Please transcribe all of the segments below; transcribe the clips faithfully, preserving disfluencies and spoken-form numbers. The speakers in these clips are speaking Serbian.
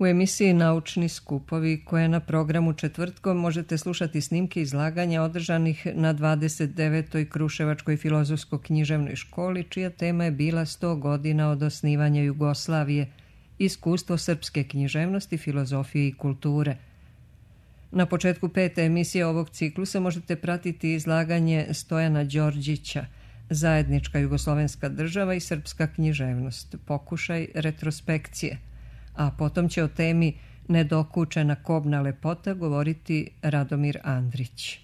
U emisiji Naučni skupovi, koja je na programu četvrtkom, možete slušati snimke izlaganja održanih na dvadeset devetoj Kruševačkoj filozofsko-književnoj školi, čija tema je bila sto godina od osnivanja Jugoslavije, iskustvo srpske književnosti, filozofije i kulture. Na početku pete emisije ovog ciklusa možete pratiti izlaganje Stojana Đorđića, Zajednička jugoslovenska država i srpska književnost, pokušaj retrospekcije, a potom će o temi Nedokučena kobna lepota govoriti Radomir Andrić.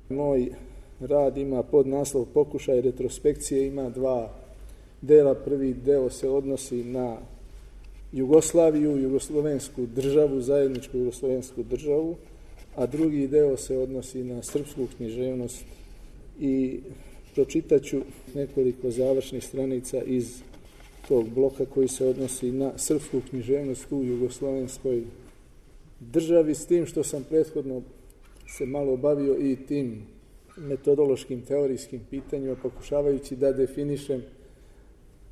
Moj rad ima podnaslov Pokušaj retrospekcije, ima dva dela. Prvi deo se odnosi na Jugoslaviju, jugoslovensku državu, zajedničku jugoslovensku državu, a drugi deo se odnosi na srpsku književnost i pročitaću nekoliko završnih stranica iz tog bloka koji se odnosi na srpsku književnost u jugoslovenskoj državi, s tim što sam prethodno se malo bavio i tim metodološkim, teorijskim pitanjima, pokušavajući da definišem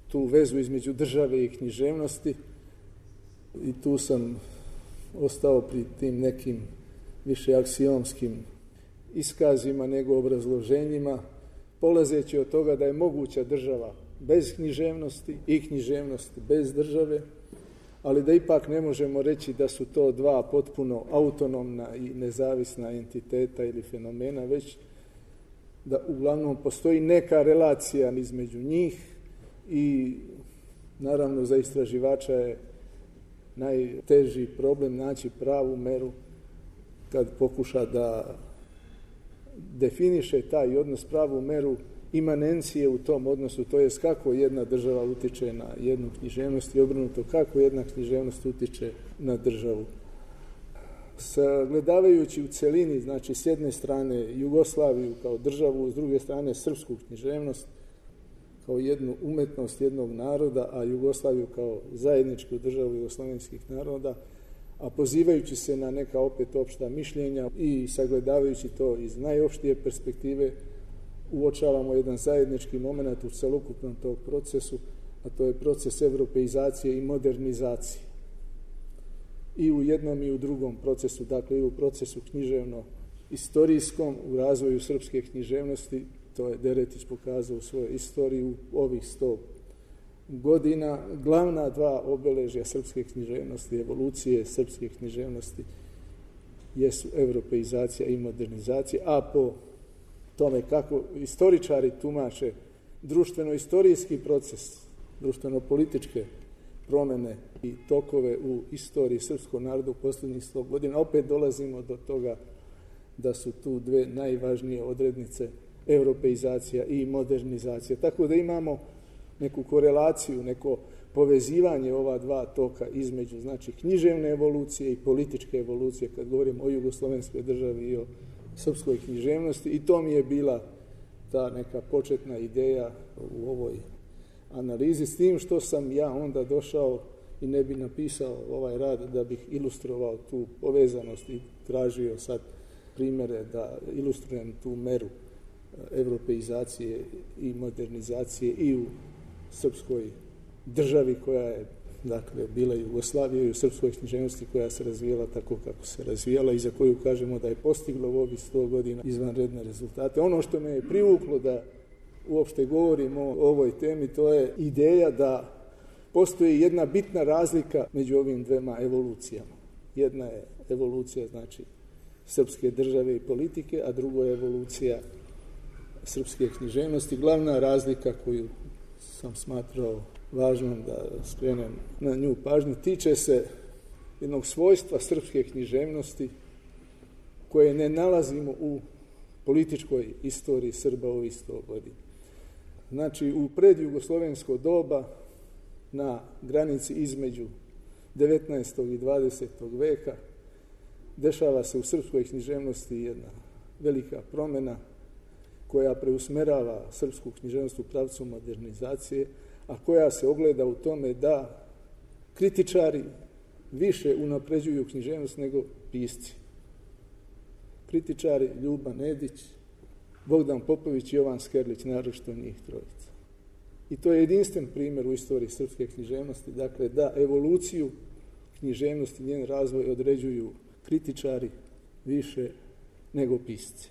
tu vezu između države i književnosti, i tu sam ostao pri tim nekim više aksiomskim iskazima nego obrazloženjima, polazeći od toga da je moguća država bez književnosti i književnost bez države, ali da ipak ne možemo reći da su to dva potpuno autonomna i nezavisna entiteta ili fenomena, već da uglavnom postoji neka relacija između njih i naravno za istraživača je najteži problem naći pravu meru kad pokuša da definiše taj odnos, pravu meru imanencije u tom odnosu, to jest kako jedna država utiče na jednu književnost i obrnuto, kako jedna književnost utiče na državu. Sagledavajući u celini, znači s jedne strane Jugoslaviju kao državu, s druge strane srpsku književnost kao jednu umetnost jednog naroda, a Jugoslaviju kao zajedničku državu jugoslovenskih naroda, a pozivajući se na neka opet opšta mišljenja i sagledavajući to iz najopštije perspektive, uočavamo jedan zajednički moment u celokupnom tog procesu, a to je proces evropeizacije i modernizacije. I u jednom i u drugom procesu, dakle i u procesu književno-istorijskom, u razvoju srpske književnosti, to je Deretić pokazao u svojoj istoriji u ovih sto godina. Glavna dva obeležja srpske književnosti, evolucije srpske književnosti, jesu evropeizacija i modernizacija, a po tome kako istoričari tumače društveno-istorijski proces, društveno-političke promene i tokove u istoriji srpskog naroda u posljednjih sto godina, opet dolazimo do toga da su tu dve najvažnije odrednice evropeizacija i modernizacija. Tako da imamo neku korelaciju, neko povezivanje ova dva toka između, znači, književne evolucije i političke evolucije, kad govorimo o jugoslovenskoj državi i o srpskoj književnosti, i to mi je bila ta neka početna ideja u ovoj analizi, s tim što sam ja onda došao i ne bi napisao ovaj rad da bih ilustrovao tu povezanost i tražio sad primere da ilustrujem tu meru evropeizacije i modernizacije i u srpskoj državi koja je, dakle, bila Jugoslavija, i u srpskoj književnosti koja se razvijala tako kako se razvijala i za koju kažemo da je postigla u ovih sto godina izvanredne rezultate. Ono što me je privuklo da uopšte govorimo o ovoj temi, to je ideja da postoji jedna bitna razlika među ovim dvema evolucijama. Jedna je evolucija, znači, srpske države i politike, a druga je evolucija srpske književnosti. Glavna razlika koju sam smatrao važnom da skrenem na nju pažnju tiče se jednog svojstva srpske književnosti koje ne nalazimo u političkoj istoriji Srba ovih sto godina. Znači, u predjugoslovensko doba, na granici između devetnaestog i dvadesetog veka, dešava se u srpskoj književnosti jedna velika promjena koja preusmerava srpsku književnost u pravcu modernizacije, a koja se ogleda u tome da kritičari više unapređuju književnost nego pisci. Kritičari Ljuba Nedić, Bogdan Popović i Jovan Skerlić, naročito njih trojica. I to je jedinstven primjer u istoriji srpske književnosti, dakle da evoluciju književnosti i njen razvoj određuju kritičari više nego pisci.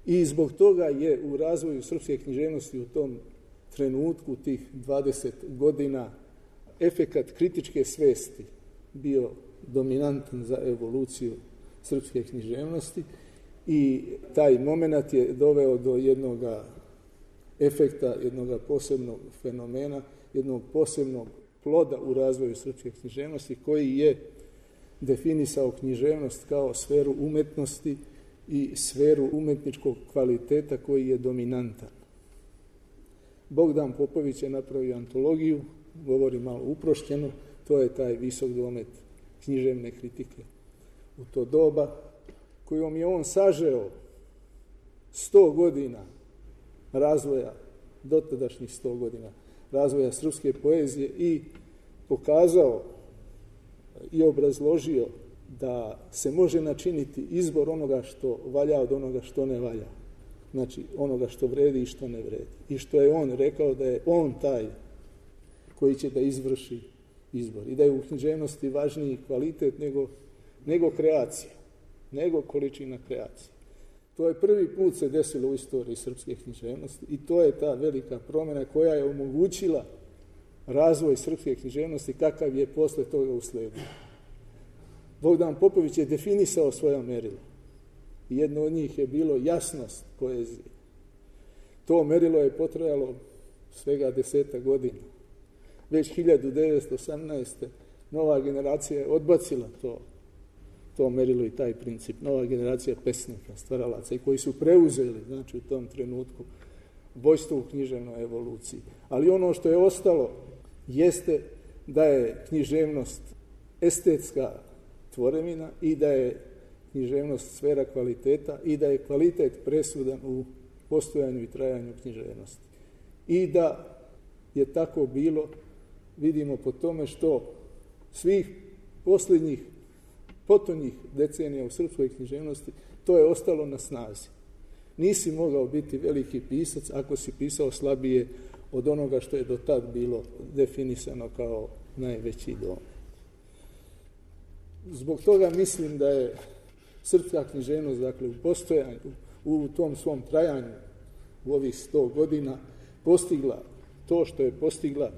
I zbog toga je u razvoju srpske književnosti u tom trenutku, tih dvadeset godina, efekat kritičke svesti bio dominantan za evoluciju srpske književnosti i taj moment je doveo do jednog efekta, jednog posebnog fenomena, jednog posebnog ploda u razvoju srpske književnosti koji je definisao književnost kao sferu umetnosti i sferu umetničkog kvaliteta koji je dominantan. Bogdan Popović je napravio antologiju, govori malo uprošćeno, to je taj visok domet književne kritike u to doba, kojom je on sažeo sto godina razvoja, dotadašnjih sto godina razvoja srpske poezije i pokazao i obrazložio da se može načiniti izbor onoga što valja od onoga što ne valja. Znači onoga što vredi i što ne vredi. I što je on rekao da je on taj koji će da izvrši izbor. I da je u književnosti važniji kvalitet nego, nego kreacija, nego količina kreacije. To je prvi put se desilo u istoriji srpske književnosti i to je ta velika promjena koja je omogućila razvoj srpske književnosti kakav je posle toga usledio. Bogdan Popović je definisao svoja merila. Jedno od njih je bilo jasnost poezije. To merilo je potrajalo svega deseta godina. Već hiljadu devetsto osamnaeste. nova generacija je odbacila to, to merilo i taj princip. Nova generacija pesnika, stvaralaca i koji su preuzeli, znači u tom trenutku, vojstvo u književnoj evoluciji. Ali ono što je ostalo jeste da je književnost estetska tvorevina i da je književnost sfera kvaliteta i da je kvalitet presudan u postojanju i trajanju književnosti. I da je tako bilo, vidimo po tome što svih posljednjih potonjih decenija u srpskoj književnosti to je ostalo na snazi. Nisi mogao biti veliki pisac ako si pisao slabije od onoga što je do tad bilo definisano kao najveći domet. Zbog toga mislim da je srpska književnost, dakle, u postojanju, u tom svom trajanju u ovih sto godina postigla to što je postigla,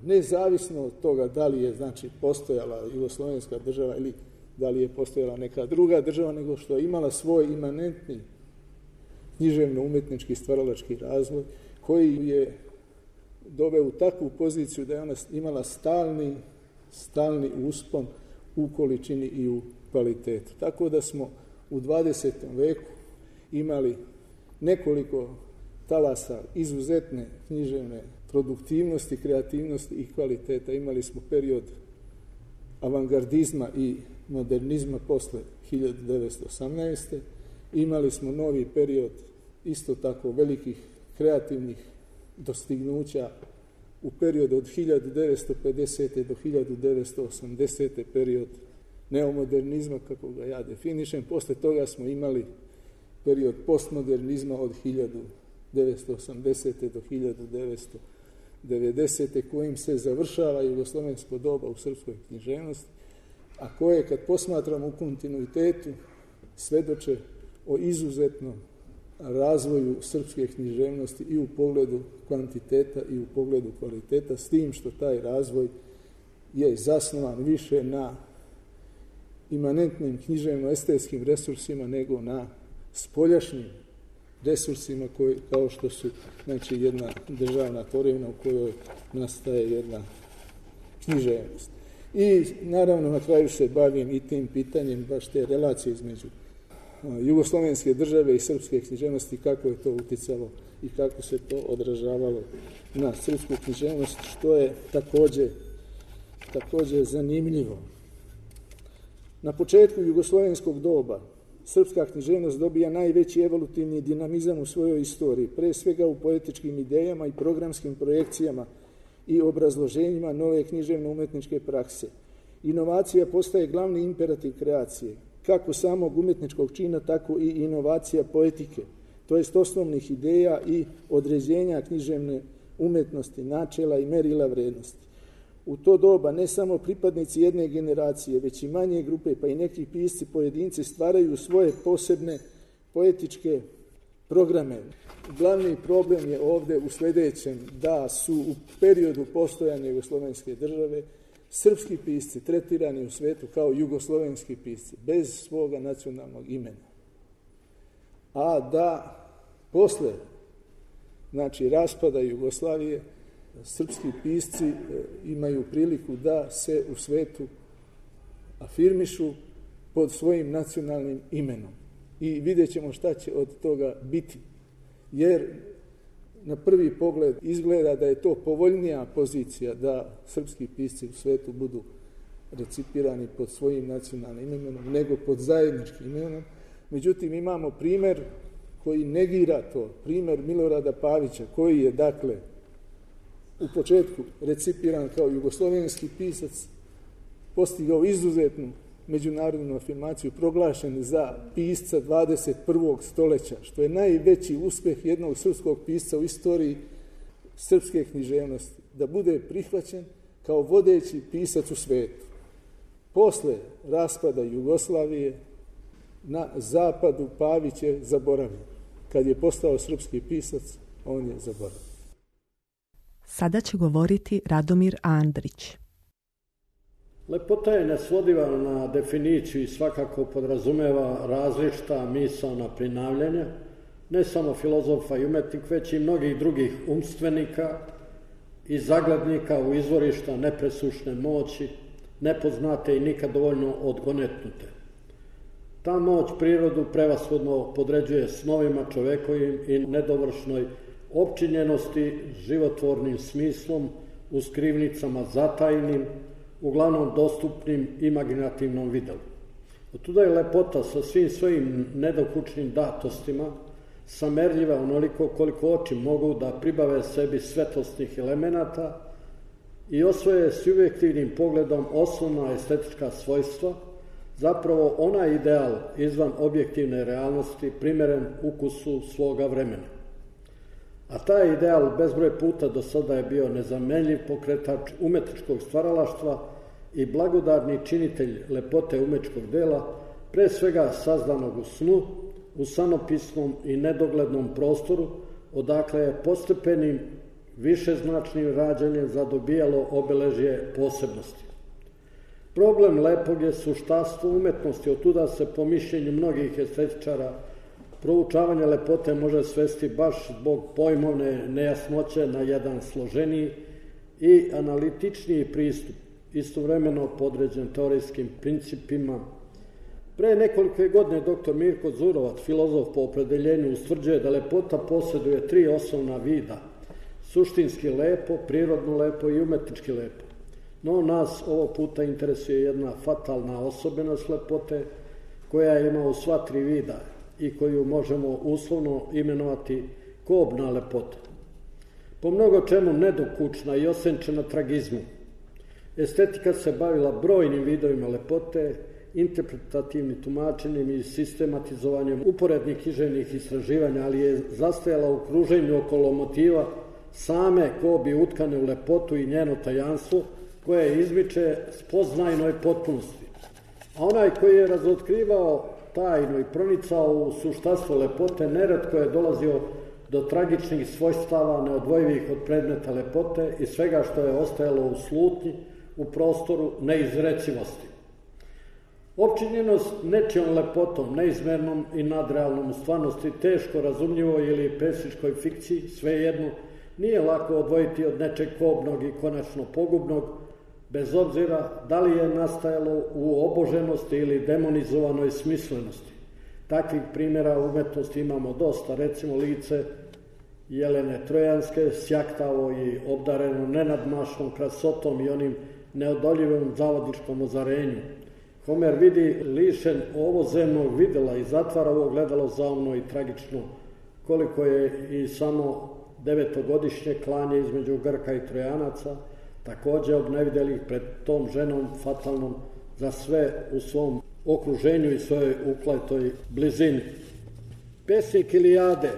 nezavisno od toga da li je, znači, postojala jugoslovenska država ili da li je postojala neka druga država, nego što je imala svoj imanentni književno-umetnički stvaralački razvoj koji je doveo u takvu poziciju da je ona imala stalni, stalni uspon u količini i u kvalitetu. Tako da smo u dvadesetom veku imali nekoliko talasa izuzetne književne produktivnosti, kreativnosti i kvaliteta. Imali smo period avangardizma i modernizma posle hiljadu devetsto osamnaeste. Imali smo novi period isto tako velikih kreativnih dostignuća u periodu od hiljadu devetsto pedesete do hiljadu devetsto osamdesete period neomodernizma, kako ga ja definišem. Posle toga smo imali period postmodernizma od hiljadu devetsto osamdesete do hiljadu devetsto devedesete kojim se završava jugoslovensko doba u srpskoj književnosti, a koje, kad posmatramo u kontinuitetu, svedoče o izuzetnom razvoju srpske književnosti i u pogledu kvantiteta i u pogledu kvaliteta, s tim što taj razvoj je zasnovan više na imanentnim književno-estetskim resursima nego na spoljašnjim resursima koji, kao što su, znači, jedna državna tvorevina u kojoj nastaje jedna književnost. I naravno na kraju se bavim i tim pitanjem baš te relacije između jugoslovenske države i srpske književnosti, kako je to uticalo i kako se to odražavalo na srpsku književnost, što je također, također zanimljivo. Na početku jugoslovenskog doba srpska književnost dobija najveći evolutivni dinamizam u svojoj istoriji, pre svega u poetičkim idejama i programskim projekcijama i obrazloženjima nove književno-umetničke prakse. Inovacija postaje glavni imperativ kreacije, kako samog umetničkog čina, tako i inovacija poetike, to jest osnovnih ideja i određenja književne umetnosti, načela i merila vrednosti. U to doba ne samo pripadnici jedne generacije, već i manje grupe, pa i neki pisci pojedinci stvaraju svoje posebne poetičke programe. Glavni problem je ovde u sledećem, da su u periodu postojanja jugoslovenske države srpski pisci tretirani u svetu kao jugoslovenski pisci, bez svoga nacionalnog imena. A da posle, znači, raspada Jugoslavije, srpski pisci imaju priliku da se u svetu afirmišu pod svojim nacionalnim imenom. I vidjet ćemo šta će od toga biti. Jer na prvi pogled izgleda da je to povoljnija pozicija da srpski pisci u svetu budu recipirani pod svojim nacionalnim imenom nego pod zajedničkim imenom. Međutim, imamo primer koji negira to, primer Milorada Pavića, koji je, dakle, u početku recipiran kao jugoslovenski pisac, postigao izuzetnu međunarodnu afirmaciju, proglašen za pisca dvadeset prvog stoleća, što je najveći uspeh jednog srpskog pisca u istoriji srpske književnosti, da bude prihvaćen kao vodeći pisac u svetu. Posle raspada Jugoslavije na zapadu Pavić je zaboravljen. Kad je postao srpski pisac, on je zaboravljen. Sada će govoriti Radomir Andrić. Lepota je nesvodiva na definiciju i svakako podrazumeva različita misaona prinavljanja, ne samo filozofa i umetnika, već i mnogih drugih umstvenika i zaglednika u izvorišta nepresušne moći, nepoznate i nikad dovoljno odgonetnute. Ta moć prirodu prevashodno podređuje snovima čovekovim i nedovršnoj opčinjenosti životvornim smislom u skrivnicama zatajnim, uglavnom dostupnim imaginativnom videlu. Otuda je lepota sa svim svojim nedokučnim datostima samerljiva onoliko koliko oči mogu da pribave sebi svetlosnih elemenata i osvoje subjektivnim pogledom osnovna estetička svojstva, zapravo onaj ideal izvan objektivne realnosti primeren ukusu svoga vremena. A taj ideal bezbroj puta do sada je bio nezamenljiv pokretač umetničkog stvaralaštva i blagodarni činitelj lepote umetničkog dela, pre svega sazdanog u snu, u sanopisnom i nedoglednom prostoru, odakle je postepenim višeznačnim rađanjem zadobijalo obeležje posebnosti. Problem lepog je suštastvo umetnosti, otuda se po mišljenju mnogih estetičara proučavanje lepote može svesti baš zbog pojmovne nejasnoće na jedan složeniji i analitičniji pristup, istovremeno podređen teorijskim principima. Pre nekoliko godine doktor Mirko Zurovac, filozof po opredeljenju, ustvrđuje da lepota posjeduje tri osnovna vida: suštinski lepo, prirodno lepo i umetnički lepo. No nas ovo puta interesuje jedna fatalna osobenost lepote koja ima u sva tri vida i koju možemo uslovno imenovati kobna lepota. Po mnogo čemu nedokučna i osenčena tragizmu, estetika se bavila brojnim vidovima lepote, interpretativnim tumačenjem i sistematizovanjem uporednih književnih istraživanja, ali je zastajala u kruženju okolo motiva same kobi utkane u lepotu i njeno tajanstvo, koje izmiče spoznajnoj potpunosti. A onaj koji je razotkrivao tajno i pronicao u suštastvo lepote, neretko je dolazio do tragičnih svojstava neodvojivih od predmeta lepote i svega što je ostajalo u slutnji, u prostoru neizrecivosti. Opčinjenost nečijom lepotom, neizmernom i nadrealnom u stvarnosti, teško razumljivoj ili pesničkoj fikciji, svejedno, nije lako odvojiti od nečeg kobnog i konačno pogubnog, bez obzira da li je nastajalo u oboženosti ili demonizovanoj smislenosti. Takvih primjera u umetnosti imamo dosta, recimo lice Jelene Trojanske, sjaktavo i obdareno nenadmašnom krasotom i onim neodoljivom zavodičkom ozarenju. Homer vidi lišen ovozemnog videla i zatvara ovo gledalo zaumno i tragično, koliko je i samo devetogodišnje klanje između Grka i Trojanaca, takođe obnevidelih pred tom ženom fatalnom za sve u svom okruženju i svojoj ukletoj blizini. Pesnik Ilijade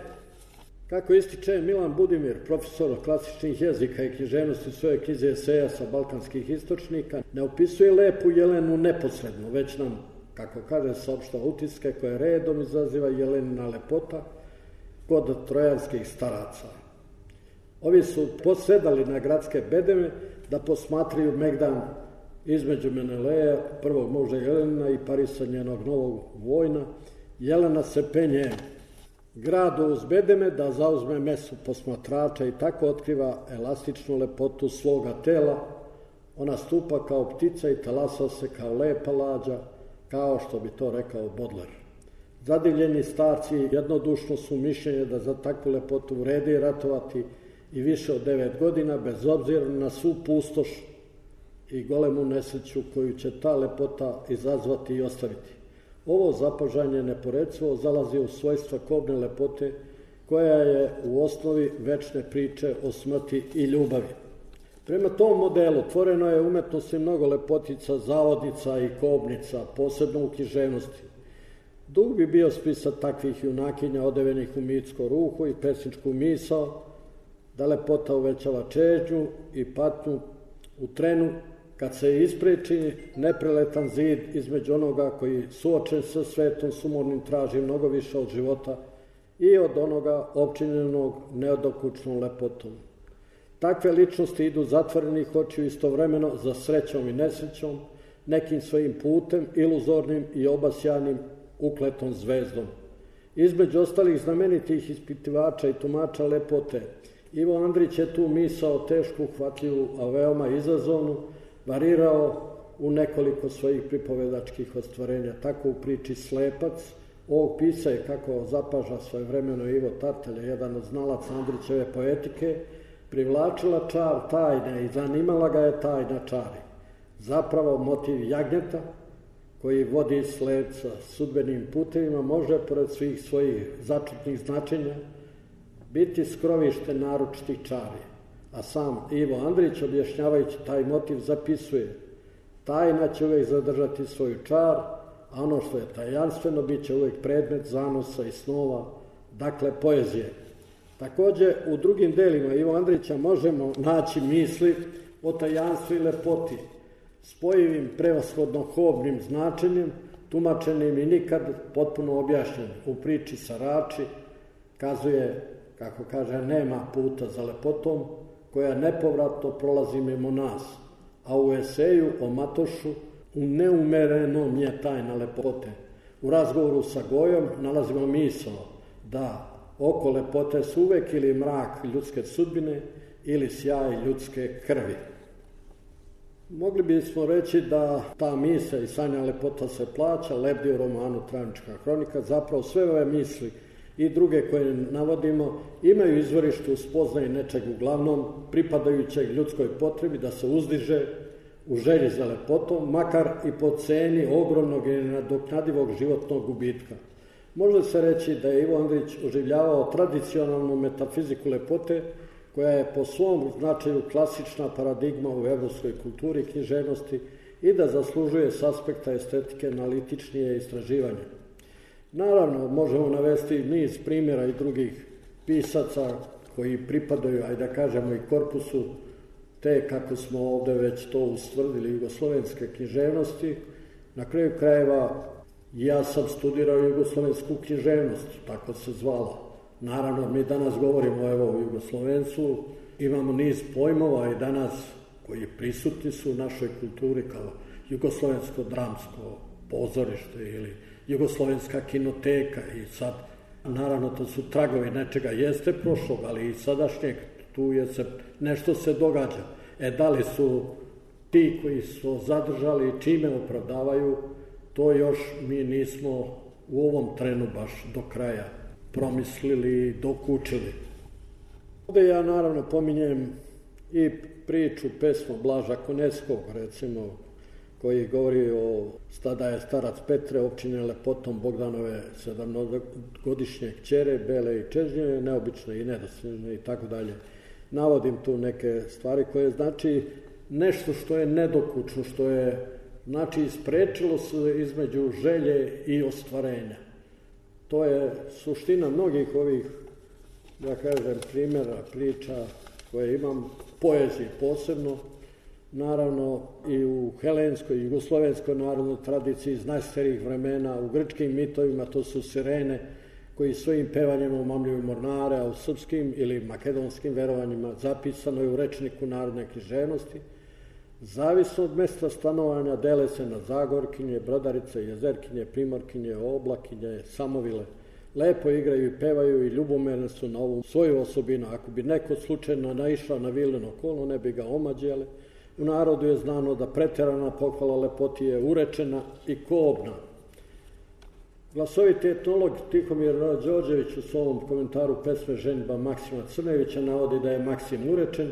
Kako ističe Milan Budimir, profesor klasičnih jezika i književnosti u svojoj knjizi eseja sa balkanskih istočnika, ne opisuje lepu Jelenu neposredno, već nam, kako kaže, saopštava utiske koje redom izaziva Jelenina lepota kod trojanskih staraca. Ovi su posedali na gradske bedeme da posmatraju megdan između Meneleja, prvog muža Jelena, i Parisa, njenog novog vojna. Jelena se penje gradu uz bedeme da zauzme mesto posmatrača i tako otkriva elastičnu lepotu svoga tela. Ona stupa kao ptica i talasa se kao lepa lađa, kao što bi to rekao Baudelaire. Zadivljeni starci jednodušno su mišljenje da za takvu lepotu vredi ratovati i više od devet godina, bez obzira na svu pustoš i golemu nesreću koju će ta lepota izazvati i ostaviti. Ovo zapažanje neporecivo zalazi u svojstva kobne lepote, koja je u osnovi večne priče o smrti i ljubavi. Prema tom modelu tvoreno je umetnosti mnogo lepotica, zavodnica i kobnica, posebno u književnosti. Dug bi bio spisat takvih junakinja odevenih u mitsko ruho i pesničku misao, da lepota uvećava čežnju i patnju u trenu kad se ispreči nepreletan zid između onoga koji suočen sa svetom sumornim traži mnogo više od života i od onoga opčinjenog neodokučnom lepotom. Takve ličnosti idu zatvorenih očiju istovremeno za srećom i nesrećom, nekim svojim putem, iluzornim i obasjanim ukletom zvezdom. Između ostalih znamenitih ispitivača i tumača lepote, Ivo Andrić je tu misao tešku, uhvatljivu, a veoma izazovnu, varirao u nekoliko svojih pripovedačkih ostvarenja. Tako u priči Slepac, ovog pisa je, kako zapaža svojevremeno Ivo Tartelje, jedan od znalaca Andrićeve poetike, privlačila čar tajne i zanimala ga je tajna čari. Zapravo motiv jagnjeta, koji vodi slepca sudbenim putevima, može, pored svih svojih začutnih značenja, biti skrovište naročitih čari. A sam Ivo Andrić, objašnjavajući taj motiv, zapisuje: tajna će uvek zadržati svoju čar, a ono što je tajanstveno bit će uvek predmet zanosa i snova, dakle poezije. Takođe, u drugim delima Ivo Andrića možemo naći misli o tajanstvu i lepoti, spojivim prevashodno kobnim značenjem, tumačenim i nikad potpuno objašnjenim. U priči Sarači kazuje, kako kaže, nema puta za lepotom, koja nepovratno prolazi mimo nas, a u eseju o Matošu u neumerenom je tajna lepote. U razgovoru sa Gojom nalazimo misao da oko lepote su uvek ili mrak ljudske sudbine ili sjaj ljudske krvi. Mogli bismo reći da ta misla i sanja lepota se plaća lebdi u romanu Travnička hronika. Zapravo sve ove misli i druge koje navodimo imaju izvorište u spoznaji nečeg uglavnom pripadajućeg ljudskoj potrebi da se uzdiže u želji za lepotom, makar i po ceni ogromnog i nenadoknadivog životnog gubitka. Može se reći da je Ivo Andrić oživljavao tradicionalnu metafiziku lepote, koja je po svom značaju klasična paradigma u evropskoj kulturi i književnosti i da zaslužuje s aspekta estetike analitičnije istraživanje. Naravno, možemo navesti niz primjera i drugih pisaca koji pripadaju, ajde da kažemo, i korpusu te, kako smo ovde već to ustvrdili, jugoslovenske književnosti. Na kraju krajeva, ja sam studirao jugoslovensku književnost, tako se zvala. Naravno, mi danas govorimo evo o Jugoslovencu, imamo niz pojmova i danas koji prisutni su u našoj kulturi kao jugoslovensko dramsko pozorište ili jugoslovenska kinoteka i sad, naravno, to su tragovi nečega, jeste prošlog, ali i sadašnjeg, tu je se, nešto se događa. E, da li su ti koji su zadržali i čime opravdavaju, to još mi nismo u ovom trenu baš do kraja promislili i dokučili. Ovde ja naravno pominjem i priču, pesmu Blaža Koneskog, recimo, koji govori o da je starac Petre opčinjen lepotom Bogdanove sedamgodišnje kćere, bele i čežnjene, neobične i nedostižne i tako dalje. Navodim tu neke stvari koje znači nešto što je nedokučno, što je, znači, isprečilo se između želje i ostvarenja. To je suština mnogih ovih da kažem, primjera, priča koje imam, poezije posebno, naravno i u helenskoj i jugoslovenskoj narodnoj tradiciji iz najstarijih vremena, u grčkim mitovima, to su sirene koji svojim pevanjem omamljuju mornare, a u srpskim ili makedonskim verovanjima zapisano je u rečniku narodne književnosti. Zavisno od mesta stanovanja dele se na Zagorkinje, Brodarice, Jezerkinje, Primorkinje, Oblakinje, Samovile. Lepo igraju i pevaju i ljubomerne su na ovu svoju osobinu. Ako bi neko slučajno naišao na vileno kolo, ne bi ga omađele. U narodu je znano da preterana pohvala lepoti je urečena i kobna. Glasoviti etnolog Tihomir Đorđević u svom komentaru pesme Ženidba Maksima Crnevića navodi da je Maksim urečen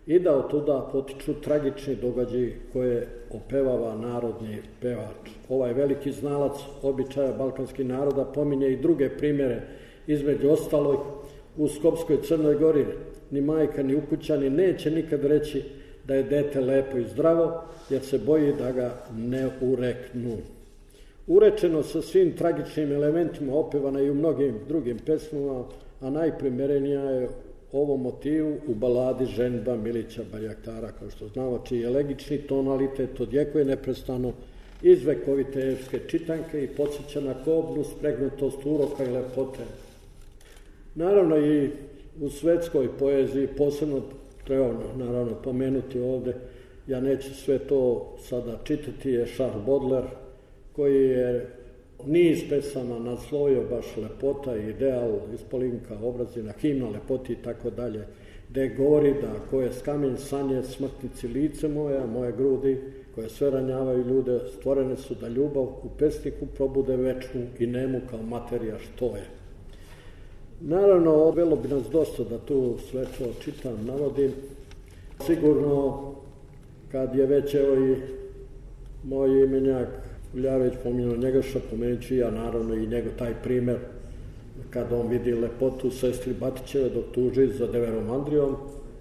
i da od tuda potiču tragični događaji koje opevava narodni pevač. Ovaj veliki znalac običaja balkanskih naroda pominje i druge primjere, između ostalog u Skopskoj Crnoj Gori ni majka ni ukućani neće nikad reći da je dete lepo i zdravo, jer se boji da ga ne ureknu. Urečeno sa svim tragičnim elementima opevana i u mnogim drugim pesmama, a najprimerenija je ovom motivu u baladi Ženidba Milića Barjaktara, kao što znamo, čiji elegični tonalitet odjekuje neprestano iz vekovite epske čitanke i podsjeća na kobnu spregnutost uroka i lepote. Naravno i u svetskoj poeziji posebno treba naravno pomenuti ovde, ja neću sve to sada čitati, je Charles Baudelaire, koji je niz pesama naslovio baš lepota i ideal, ispolinka, obrazina, himna lepoti i tako dalje, gde govori da koje skamen sanje smrtnici lice moja, moje grudi, koje sve ranjavaju ljude, stvorene su da ljubav u pesniku probude večnu i nemu kao materija što je. Naravno, odvelo bi nas dosta da tu sve to čitam, navodim. Sigurno, kad je već evo i moj imenjak Uljaveć pominjao Njegoša, pomenut ću ja naravno i njegov taj primer kada on vidi lepotu sestri Batićeve dok tuži za Deverom Andrijom,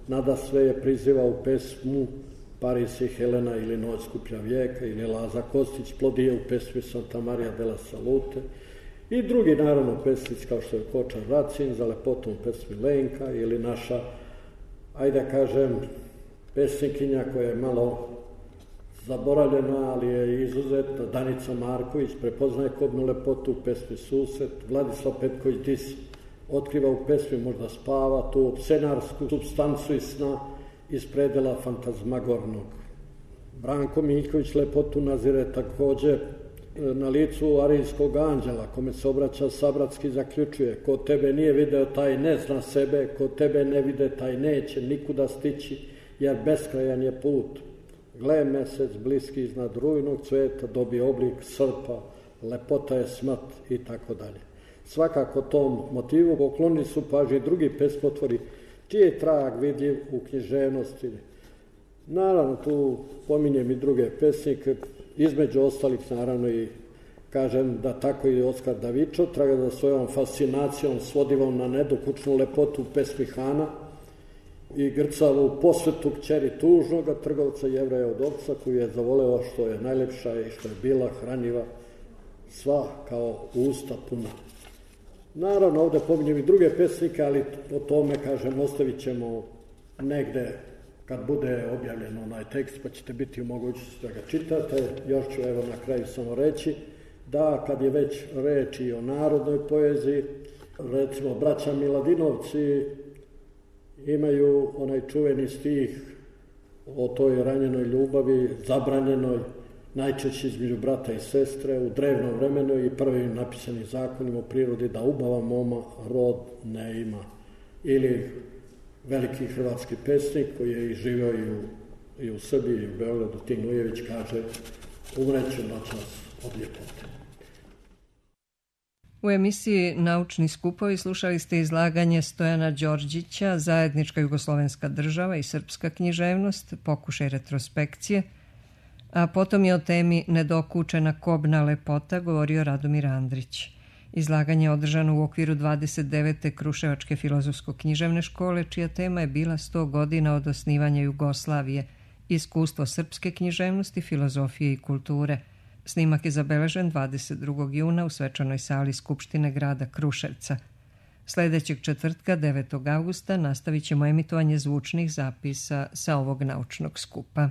nada sve je priziva u pesmu Paris i Helena ili Noć skuplja vijeka ili Laza Kostić plodije u pesmi Santa Maria della Salute i drugi naravno pesnici kao što je Kočar Racin za lepotom pesmi Lenka ili naša, ajde da kažem, pesnikinja koja je malo zaboravljena, ali je izuzetna, Danica Marković, prepoznaje kobnu lepotu u pesmi Susret, Vladislav Petković Dis otkriva u pesmi Možda spava tu scenarsku supstancu i sna iz predela fantazmagornog. Branko Miljković lepotu nazire takođe na licu arijskog anđela, kome se obraća sabratski, zaključuje: ko tebe nije video, taj ne zna sebe, ko tebe ne vide, taj neće nikuda stići, jer beskrajan je put. Gle mesec bliski iznad rujnog cveta, dobije oblik srpa, lepota je smrt i tako dalje. Svakako tom motivu poklonili su pažnji drugi pesmotvori, čiji je trag vidljiv u književnosti. Naravno, tu pominjem i druge pesnike, između ostalih naravno i kažem da tako i Oskar Davičo traga za svojom fascinacijom svodivom na nedokučnu lepotu pesmi Hana i grcavu posvetu kćeri tužnoga trgovca Jevreja od ovca, koju je zavoleo što je najlepša i što je bila hranjiva, sva kao usta puna. Naravno, ovde pominjem i druge pesnike, ali o tome, kažem, ostavit ćemo negde kad bude objavljen onaj tekst, pa ćete biti u mogućnosti da ga čitate. Još ću evo na kraju samo reći da kad je već reč i o narodnoj poeziji, recimo braća Miladinovci imaju onaj čuveni stih o toj ranjenoj ljubavi, zabranjenoj, najčešće između brata i sestre, u drevnom vremenu i prvim napisanim zakonima o prirodi da ubava moma rod ne ima. Ili veliki hrvatski pesnik koji je i živio i u, i u Srbiji i u Beogradu, Tin Ujević, kaže: umreću noćas od ljepote. U emisiji Naučni skupovi slušali ste izlaganje Stojana Đorđića, Zajednička jugoslovenska država i srpska književnost, pokušaj retrospekcije, a potom je o temi Nedokučena kobna lepota govorio Radomir Andrić. Izlaganje je održano u okviru dvadeset devete Kruševačke filozofsko-književne škole, čija tema je bila sto godina od osnivanja Jugoslavije, iskustvo srpske književnosti, filozofije i kulture. Snimak je zabeležen dvadeset drugog juna u svečanoj sali Skupštine grada Kruševca. Sljedećeg četvrtka, devetog augusta, nastavit ćemo emitovanje zvučnih zapisa sa ovog naučnog skupa.